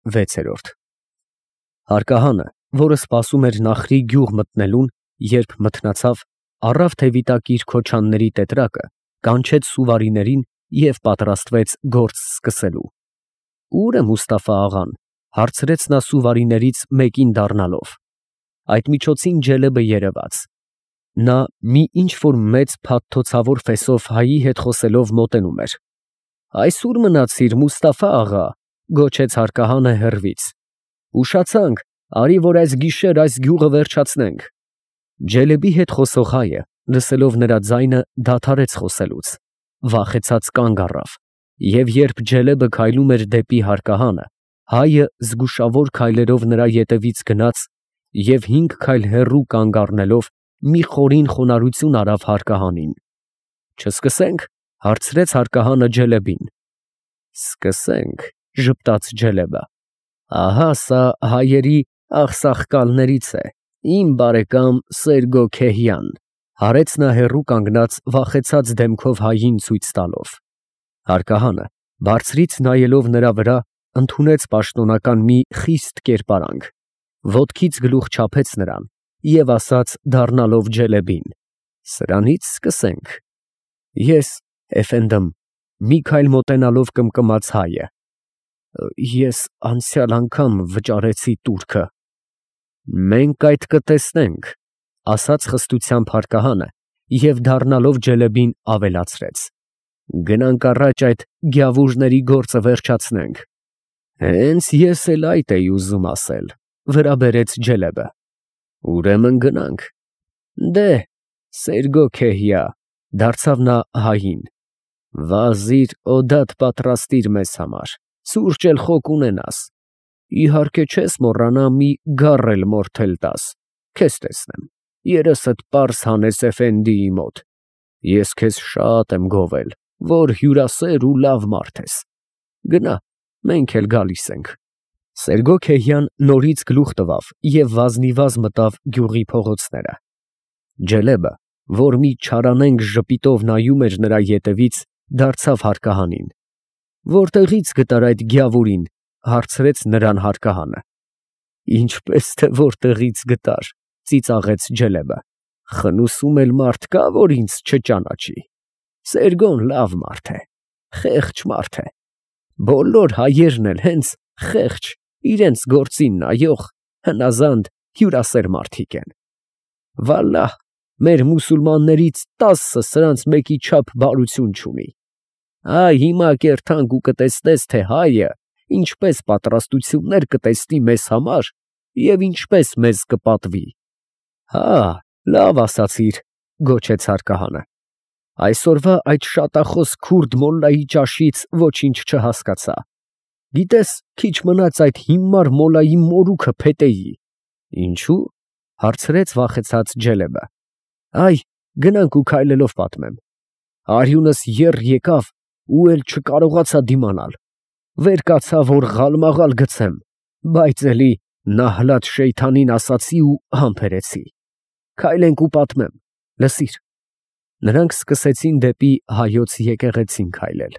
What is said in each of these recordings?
6-րդ Հարկահանը, որը սպասում էր Նախրի գյուղ մտնելուն, երբ մթնացավ, առավ թևիտակիր քոչանների տետրակը, կանչեց սուվարիներին և պատրաստվեց գործ սկսելու։ Ո՞ւր է Մուստաֆա աղան, հարցրեց նա սուվարիներից մեկին դառնալով։ Այդ միջոցին Ջելեբը երևաց։ Նա մի ինչ-որ մեծ փաթթոցավոր ֆեսով հայի հետ խոսելով մոտենում էր։ «Այս ո՞ւր մնացիր, Մուստաֆա աղա», գոչեց հարկահանը հեռվից։ «Ուշացանք, արի որ այս գիշեր այս գյուղը վերջացնենք»։ Ջելեբի հետ խոսող հայը, լսելով նրա ձայնը, դադարեց խոսելուց, վախեցած կանգ առավ, և երբ Ջելեբը քայլում էր դեպի հարկահանը, հայը զգուշավոր քայլերով նրա ետևից գնաց և 5 քայլ հեռու կանգ առնելով մի խորին խոնարհություն արավ հարկահանին։ «Չսկսե՞նք», հարցրեց հարկահանը Ջելեբին։ «Սկսենք», ժպտաց Ջելեբը։ «Ահա սա հայերի աղսաղկալներից է, իմ բարեկամ Սերգո Քեհյան», հարեց նա հեռու կանգնած վախեցած դեմքով հային ցույց տալով։ Հարկահանը, բարձրից նայելով նրա վրա, ընդունեց պաշտոնական մի խիստ կերպարանք, ոտքից գլուխ չափեց նրան և ասաց դառնալով Ջելեբին. «Սրանից սկսենք»։ «Ես, էֆենդմ», մի քայլ մոտենալով կմկմաց հայը, «ես անցյալ անգամ վճարեցի տուրքը»։ «Մենք այդ կտեսնենք», ասաց խստությամբ հարկահանը և դառնալով Ջելեբին ավելացրեց. «Գնանք առաջ այդ գյավուժների գործը վերջացնենք»։ «Հենց ես էլ այդ էի ուզում ասել», վրա բերեց Ջելեբը։ «Ուրեմն գնանք»։ «Դե, Սերգո Քեհիա», դարձավ նա հային, «վազիր օդատ պատրաստիր մեզ համար, սուրճ էլ խոկ ունենաս, իհարկե չես մոռանա մի գառ էլ մորթել տաս, քեզ տեսնեմ, երեսդ պարզ հանես էֆենդիի մոտ, ես քեզ շատ եմ գովել, որ հյուրասեր ու լավ մարդ ես, գնա, մենք էլ գալիս ենք»։ Սերգո Քեհյան նորից գլուխ տվավ և վազնիվազ մտավ գյուղի փողոցները։ Ջելեբը, որ մի չարանենգ ժպիտով նայում էր նրա ետևից, դարձավ հարկահանին։ «Որտեղի՞ց գտար այդ գյավուրին», հարցրեց նրան հարկահանը։ «Ինչպես թե որտեղից գտար», ծիծաղեց Ջելեբը։ «Խնուսում էլ մարդ կա, որ ինձ չճանաչի։ Սերգոն լավ մարդ է, խեղճ մարդ է, բոլոր հայերն էլ հենց խեղճ, իրենց գործին նայող, հնազանդ, հյուրասեր մարդիկ են։ Վալլահ, մեր մուսուլմաններից 10-ը սրանց մեկի չափ բարություն չունի։ Այ հիմա կերթանք ու կտեսնես, թե հայը ինչպես պատրաստություններ կտեսնի մեզ համար և ինչպես մեզ կպատվի»։ «Հա, լավ ասացիր», գոչեց հարկահանը։ «Այսօրվա այդ շատախոս քուրդ մոլլայի ճաշից ոչինչ չհասկացա։ Գիտես, քիչ մնաց այդ հիմար մոլլայի մորուքը փետեի»։ «Ինչու՞, հարցրեց վախեցած Ջելեբը։ «Այ, գնանք ու քայլելով պատմեմ։ Արյունս եռ եկավ ու էլ չկարողացա դիմանալ, վեր կացա, որ ղալմաղալ գցեմ, բայց էլի Նահլաթ Շեյթանին ասացի ու համբերեցի։ Քայլենք ու պատմեմ, լսիր»։ Նրանք սկսեցին դեպի հայոց եկեղեցին քայլել։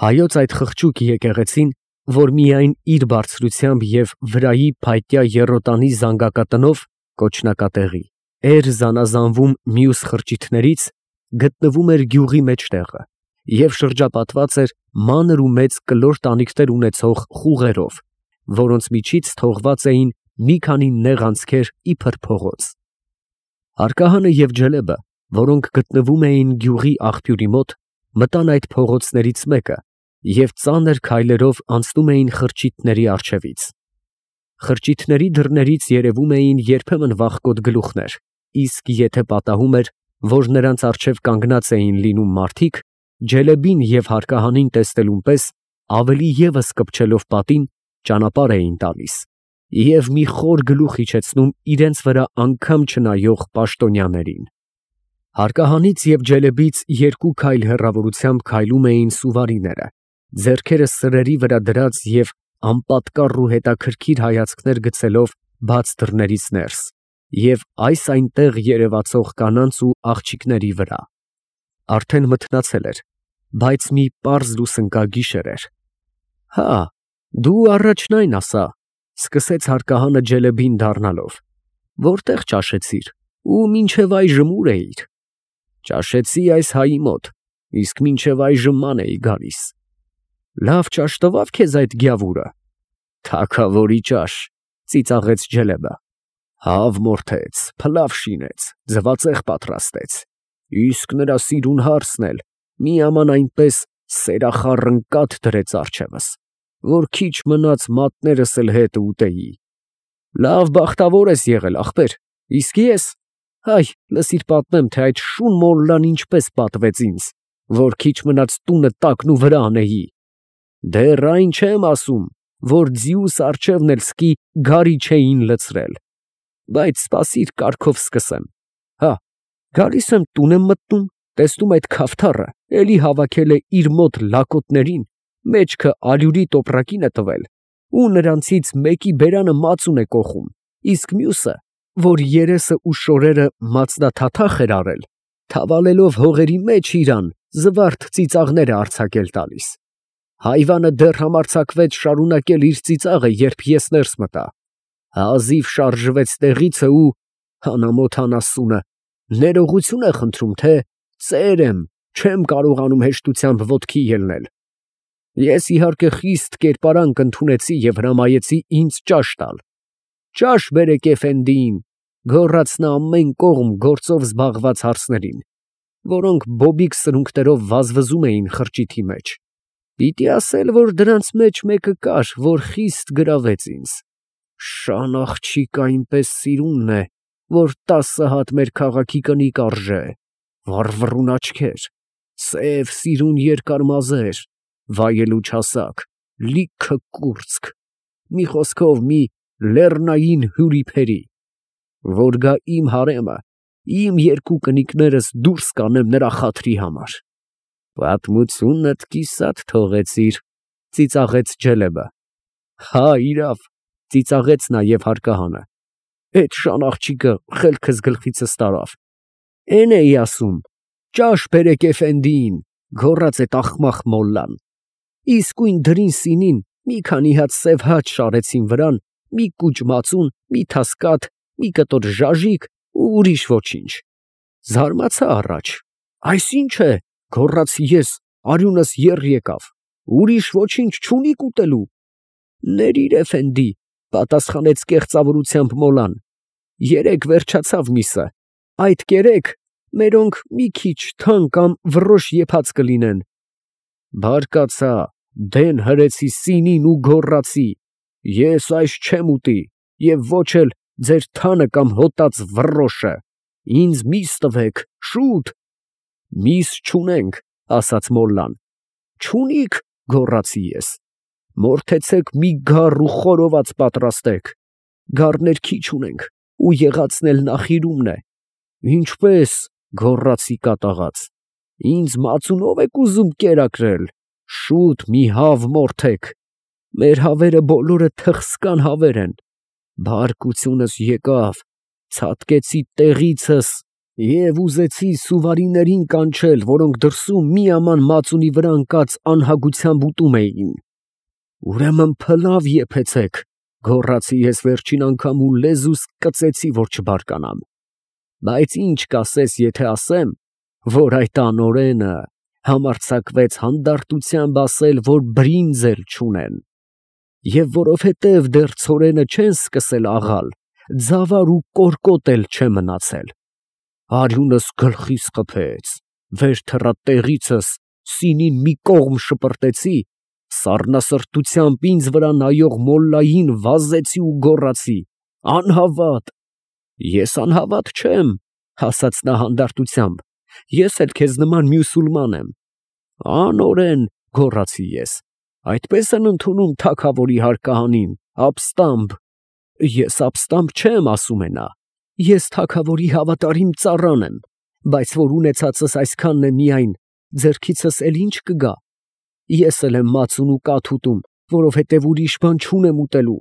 Հայոց այդ խղճուկ եկեղեցին, որ միայն իր բարձրությամբ և վրայի փայտյա եռոտանի զանգակատնով (կոչնակատեղի) էր զանազանվում մյուս խրճիթներից, գտնվում էր գյուղի մեջտեղը և շրջապատված էր մանր ու մեծ կլոր տանիքներ ունեցող խուղերով, որոնց միջից թողված էին մի քանի նեղ անցքեր իբր փողոց։ Հարկահանը և Ջելեբը, որոնք գտնվում էին գյուղի աղբյուրի մոտ, մտան այդ փողոցներից մեկը և ծանր քայլերով անցնում էին խրճիթների առջևից։ Խրճիթների դռներից երևում էին երբեմն վախկոտ գլուխներ, իսկ եթե պատահում էր, որ նրանց առջև կանգնած էին լինում մարդիկ, Ջելեբին և հարկահանին տեսնելուն պես, ավելի ևս կպչելով պատին, ճանապարհ էին տալիս և մի խոր գլուխ իջեցնում իրենց վրա անգամ չնայող պաշտոնյաներին։ Հարկահանից և Ջելեբից 2 քայլ հեռավորությամբ քայլում էին սուվարիները, ձեռքերը սրերի վրա դրած և անպատկառ ու հետաքրքիր հայացքներ գցելով բաց դռներից ներս և այս այնտեղ երևացող կանանց ու աղջիկների վրա։ Արդեն մթնացել էր, բայց մի պարզ լուսնկա գիշեր էր։ Հա, Դու առաջնայն ասա, սկսեց հարկահանը Ջելեբին դառնալով, որտեղ ճաշեցիր ու մինչև այժմ ուր էիր։ Ճաշեցի այս հայի մոտ, իսկ մինչև այժմ ման էի գալիս։ Լավ ճաշ տվավ քեզ այդ գյավուրը։ Թագավորի ճաշ, ծիծաղեց Ջելեբը։ Հավ մորթեց, փլավ շինեց, ձվածեղ պատրաստեց, իսկ նրա սիրուն հարսն էլ մի աման այնպես սերախառն կաթ դրեց առջևս, որ քիչ մնաց մատներս էլ հետ ուտեի։ Լավ բախտավոր ես եղել, ախպեր, իսկ ես, հայ, լսիր պատմեմ, թե այդ շուն մոլլան ինչպես պատվեց ինձ, որ քիչ մնաց տունը տակնու վրա անեի։ Դեռ այն չեմ ասում, որ ձիուս առջևն էլ սկի գարի չէին լցրել, բայց սպասիր կարգով սկսեմ։ Հա, գալիս եմ տուն եմ մտնում, տեսնում այդ քավթառը էլի հավաքել է իր մոտ լակոտներին, մեջքը ալյուրի տոպրակին է տվել, ու նրանցից մեկի բերանը մածուն է կոխում, իսկ մյուսը, որ երեսը ու շորերը մածնաթաթախ էր արել, թավալելով հողերի մեջ իրան, զվարթ ծիծաղներ է արձակել տալիս։ Հայվանը դեռ համարձակվեց շարունակել իր ծիծաղը, երբ ես ներս մտա։ Հազիվ շարժվեց տեղիցը ու հանամոթան ասունը, ներողություն է խնդրում, թե ծեր եմ, չեմ կարողանում հեշտությամբ ոտքի ելնել։ Ես իհարկե խիստ կերպարանք ընդունեցի և հրամայեցի ինձ ճաշ տալ։ Ճաշ բերեք էֆենդիին, գոռաց նա ամեն կողմ գործով զբաղված հարսներին, որոնք բոբիկ սրունքներով վազվզում էին խրճիթի մեջ։ Պիտի ասել, որ դրանց մեջ մեկը կար, որ խիստ գրավեց ինձ։ Շան աղջիկ այնպես սիրունն է, որ 10 հատ մեր քաղաքի կնիկ արժե, վառվռուն աչքեր, սև սիրուն երկար մազեր, վայելու չասակ, լիքը կուրծք, մի խոսքով մի լեռնային հյուրիփերի, որ գա իմ հարեմը, իմ երկու կնիկներս դուրս կանեմ նրա խաթրի համար։ Պատմությունդ կիսատ թողեցիր, ծիծաղեց Ջելեբը։ Հա, իրավ, ծիծաղեց նաև հարկահանը։ Էդ շան աղջիկը խելքս գլխիցս տարավ։ Էն էի ասում, ճաշ բերեք էֆենդիին, գոռաց այդ ախմախ մոլլան։ Իսկույն դրին սինին մի քանի հատ սև հաց շարեցին վրան, մի կուճ մածուն, մի թաս կաթ, մի կտոր ժաժիք ու ուրիշ ոչինչ։ Զարմացա առաջ։ Այս ինչ է, գոռացի ես, արյունս եռ եկավ։ Ուրիշ ոչինչ չունիք ուտելու։ Ներիր էֆենդի, պատասխանեց կեղծավորությամբ մոլան։ Երեկ վերջացավ միսը, այդ կերեք մերոնք մի քիչ թան կամ վռոշ եփած կլինեն։ Բարկացա, դեն հրեցի սինին ու գոռացի. ես այս չեմ ուտի և ոչ էլ ձեր թանը կամ հոտած վռոշը, ինձ միս տվեք, շուտ։ Միս չունենք, ասաց մոլլան։ Չունիք, գոռացի ես։ Մորթեցեք մի գառ ու խորոված պատրաստեք։ Գառներ քիչ ունենք ու եղածն էլ նախիրումն է։ Ինչպես, գոռացի կատաղած։ Ինձ մածունով եք ուզում կերակրել։ Շուտ մի հավ մորթեք։ Մեր հավերը բոլորը թխսկան հավեր են։ Բարկությունս եկավ, ցատկեցի տեղիցս և ուզեցի սուվարիներին կանչել, որոնք դրսում մի աման մածունի վրա ընկած անհագությամբ ուտում էին։ Ուրեմն փլավ եփեցեք, գոռացի ես վերջին անգամ ու լեզուս կծեցի, որ չբարկանամ։ Բայց ինչ կասես, եթե ասեմ, որ այդ անօրենը համարձակվեց հանդարտությամբ ասել, որ բրինձ էլ չունեն։ Եվ որովհետև դեռ ցորենը չեն սկսել աղալ, ձավար ու կորկոտ էլ չէ մնացել։ Արյունս գլխիս խփեց, վեր թռա տեղիցս, սինին մի կողմ շպրտեցի, սառնասրտությամբ ինձ վրա նայող մոլլային վազեցի ու գոռացի. անհավատ։ Ես անհավատ չեմ, ասաց նա հանդարտությամբ, ես էլ քեզ նման մյուսուլման եմ։ Անօրեն, գոռացի ես, այդպես են ընդունում թագավորի հարկահանին, ապստամբ։ Ես ապստամբ չեմ, ասում է նա, ես թագավորի հավատարիմ ծառան եմ, բայց որ ունեցածս այսքանն է միայն, ձեռքիցս էլ ինչ կգա։ Ես էլ եմ մածուն ու կաթ ուտում, որովհետև ուրիշ բան չունեմ ուտելու։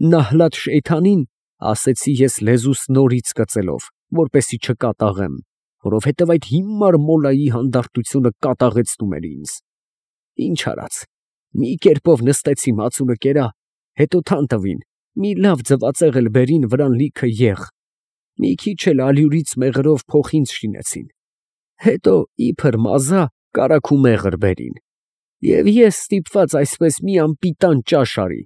Նահլաթ Շեյթանին, ասեցի ես լեզուս նորից կծելով, որպեսի չկատաղեմ, որովհետև այդ հիմար մոլայի հանդարտությունը կատաղեցնում էր ինձ։ Ինչ արած, Մի կերպով նստեցի, մածունը կերա, հետո թան տվին, մի լավ ձվածեղ էլ բերին, վրան լիքը եղ, մի քիչ էլ ալյուրից մեղրով փոխինձ շինեցին, հետո իբր մազա կարագ ու մեղր բերին, և ես ստիպված այսպես մի անպիտան ճաշ արի,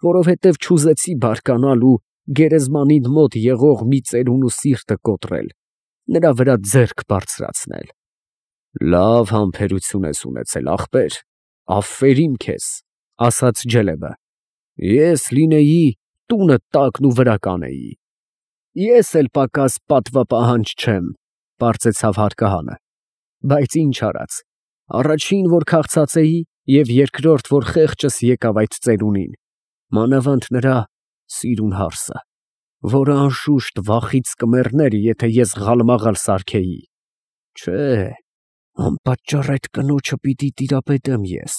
որովհետև չուզեցի բարկանալ ու գերեզմանին մոտ եղող մի ծերունու սիրտը կոտրել, նրա վրա ձեռք բարձրացնել։ Լավ համբերություն ես ունեցել, ախպեր, աֆերիմ քեզ, ասաց Ջելեբը, ես լինեի տունդ տակն ու վրա կանեի։ Ես էլ պակաս պատվապահանջ չեմ, պարծեցավ հարկահանը, բայց ինչ արած, առաջին, որ քաղցած էի, և երկրորդ, որ խեղճս եկավ այդ ծերունին, մանավանդ նրա սիրուն հարսը, որը անշուշտ վախից կմեռներ, եթե ես ղալմաղալ սարքեի։ Չէ, անպատճառ այդ կնոջը պիտի տիրապետեմ ես,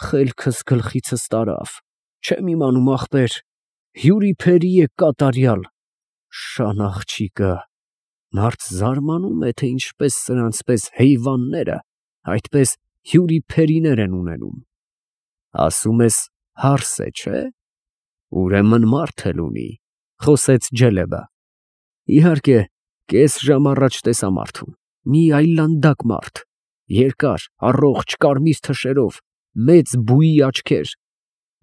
խելքս գլխիցս տարավ, չեմ իմանում, ախպեր, հյուրիփերի է կատարյալ, շան աղջիկը, մարդ զարմանում է, թե ինչպես սրանց պես հեյվանները այդպես հյուրիփերիներ են ունենում։ Ասում ես հարս է, չէ՞։ Ուրեմն մարդ էլ ունի, խոսեց Ջելեբը։ Իհարկե, կես ժամ առաջ տեսա մարդուն, մի այլանդակ մարդ, երկար, առողջ կարմիր թշերով, մեծ բույի աչքեր,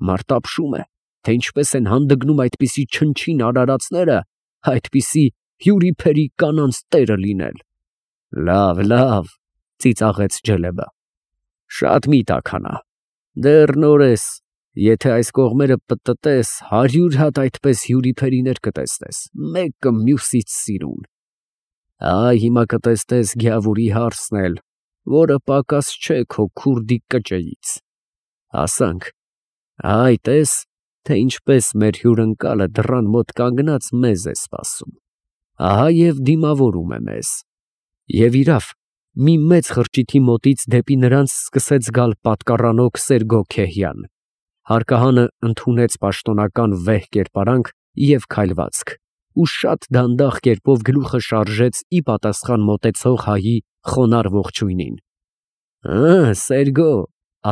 մարդ ապշում է, թե ինչպես են հանդգնում այդպիսի չնչին արարածները, այդպիսի հյուրիփերի կանանց տերը լինել։ Լավ, լավ, ծիծաղեց Ջելեբը, շատ մի տաքանա, դեռ նոր ես, եթե այս կողմերը պտտես, 100 հատ այդպես հյուրիփերիներ կտեսնես, մեկը մյուսից սիրուն։ Այ հիմա կտեսնես գյավուրի հարսն էլ, որը պակաս չէ քո քուրդի կճեից։ Ասանք, այ տես, թե ինչպես մեր հյուրընկալը դռան մոտ կանգնած մեզ է սպասում, ահա և դիմավորում է մեզ։ Եվ իրավ, մի մեծ խրճիթի մոտից դեպի նրանց սկսեց գալ պատկառանոք Սերգո-Քեհյան։ Հարկահանը ընդունեց պաշտոնական վեհ կերպարանք և քայլվածք, ու շատ դանդաղ կերպով գլուխը շարժեց ի պատասխան մոտեցող հայի խոնարհ ողջույնին։ Սերգո,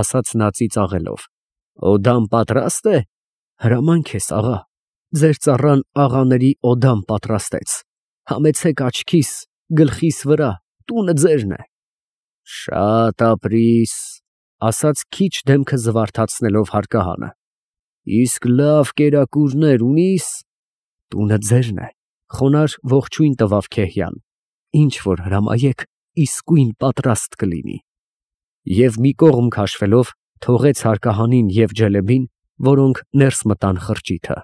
ասաց նա ծիծաղելով, օդան պատրաստ է։ Հրամանք ես, աղա, ձեր ծառան աղաների օդան պատրաստեց, համեցեք աչքիս, գլխիս վրա, տունը ձերն է։ Շատ ապրիս, ասաց քիչ դեմքը զվարթացնելով հարկահանը, իսկ լավ կերակուրներ ունիս։ Տունը ձերն է, խոնարհ ողջույն տվավ Քեհյան, ինչ որ հրամայեք, իսկույն պատրաստ կլինի։ Եվ մի կողմ քաշվելով, թողեց հարկահանին և Ջելեբին, որոնք ներս մտան խրճիթը։